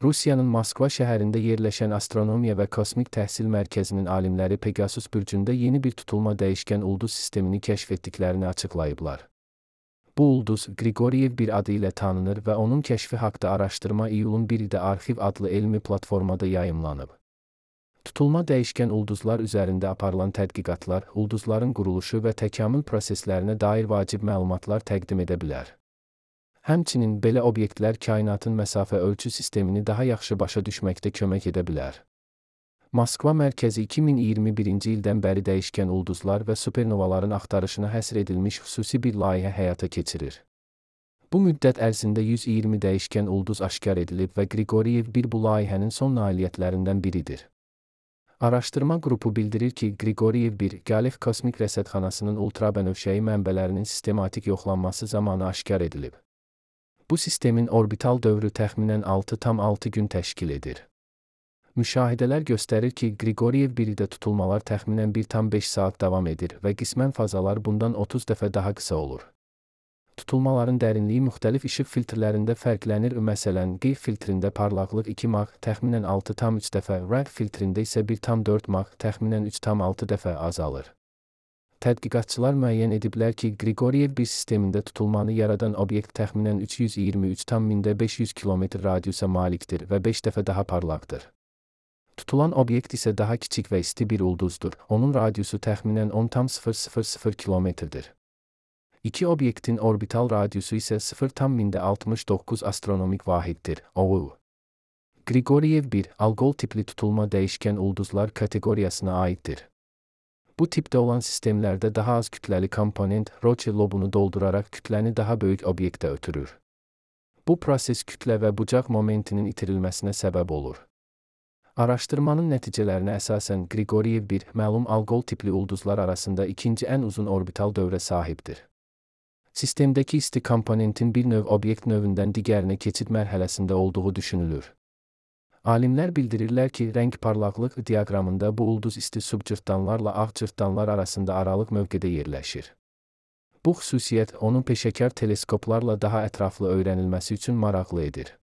Rusiyanın Moskva şəhərində yerləşən Astronomiya və Kosmik Təhsil Mərkəzinin alimləri Pegasus bürcündə yeni bir tutulma dəyişkən ulduz sistemini kəşf etdiklərini açıqlayıblar. Bu ulduz Grigoriev 1 adı ilə tanınır və onun kəşfi haqqında araşdırma iyulun 1-də Arxiv adlı elmi platformada yayımlanıb. Tutulma dəyişkən ulduzlar üzərində aparılan tədqiqatlar, ulduzların quruluşu və təkamül proseslərinə dair vacib məlumatlar təqdim edə bilər. Həmçinin belə obyektlər kainatın məsafə ölçü sistemini daha yaxşı başa düşməkdə kömək edə bilər. Moskva mərkəzi 2021-ci ildən bəri dəyişkən ulduzlar və supernovaların axtarışına həsr edilmiş xüsusi bir layihə həyata keçirir. Bu müddət ərzində 120 dəyişkən ulduz aşkar edilib və Grigoriev 1 bu layihənin son nailiyyətlərindən biridir. Araşdırma qrupu bildirir ki, Grigoriev 1 Galef kosmik rəsədxanasının ultrabənövşəyi mənbələrinin sistematik yoxlanması zamanı aşkar edilib. Bu sistemin orbital dövrü təxminən 6,6 gün təşkil edir. Müşahidələr göstərir ki, Grigoriev 1-də tutulmalar təxminən 1,5 saat davam edir və qismən fazalar bundan 30 dəfə daha qısa olur. Tutulmaların dərinliyi müxtəlif işıq filtrlərində fərqlənir, məsələn, G filtrində parlaqlıq 2 maq təxminən 6,3 dəfə, RAG filtrində isə 1,4 maq təxminən 3,6 dəfə azalır. Tədqiqatçılar müəyyən ediblər ki, Grigoriev 1 sistemində tutulmanı yaradan obyekt təxminən 323,500 km radiusa malikdir və 5 dəfə daha parlaqdır. Tutulan obyekt isə daha kiçik və isti bir ulduzdur. Onun radiusu təxminən 10,000 km-dir. İki obyektin orbital radiusu isə 0,69 astronomik vahiddir. OU. Grigoriev 1 Algol tipli tutulma dəyişkən ulduzlar kateqoriyasına aiddir. Bu tipdə olan sistemlərdə daha az kütləli komponent Roche lobunu dolduraraq kütləni daha böyük obyektə ötürür. Bu proses kütlə və bucaq momentinin itirilməsinə səbəb olur. Araşdırmanın nəticələrinə əsasən Grigoriev 1 məlum Algol tipli ulduzlar arasında ikinci ən uzun orbital dövrə sahibdir. Sistemdəki isti komponentin bir növ obyekt növündən digərinə keçid mərhələsində olduğu düşünülür. Alimlər bildirirlər ki, rəng parlaqlıq diaqramında bu ulduz isti subcırtdanlarla ağ cırtdanlar arasında aralıq mövqedə yerləşir. Bu xüsusiyyət onun peşəkar teleskoplarla daha ətraflı öyrənilməsi üçün maraqlı edir.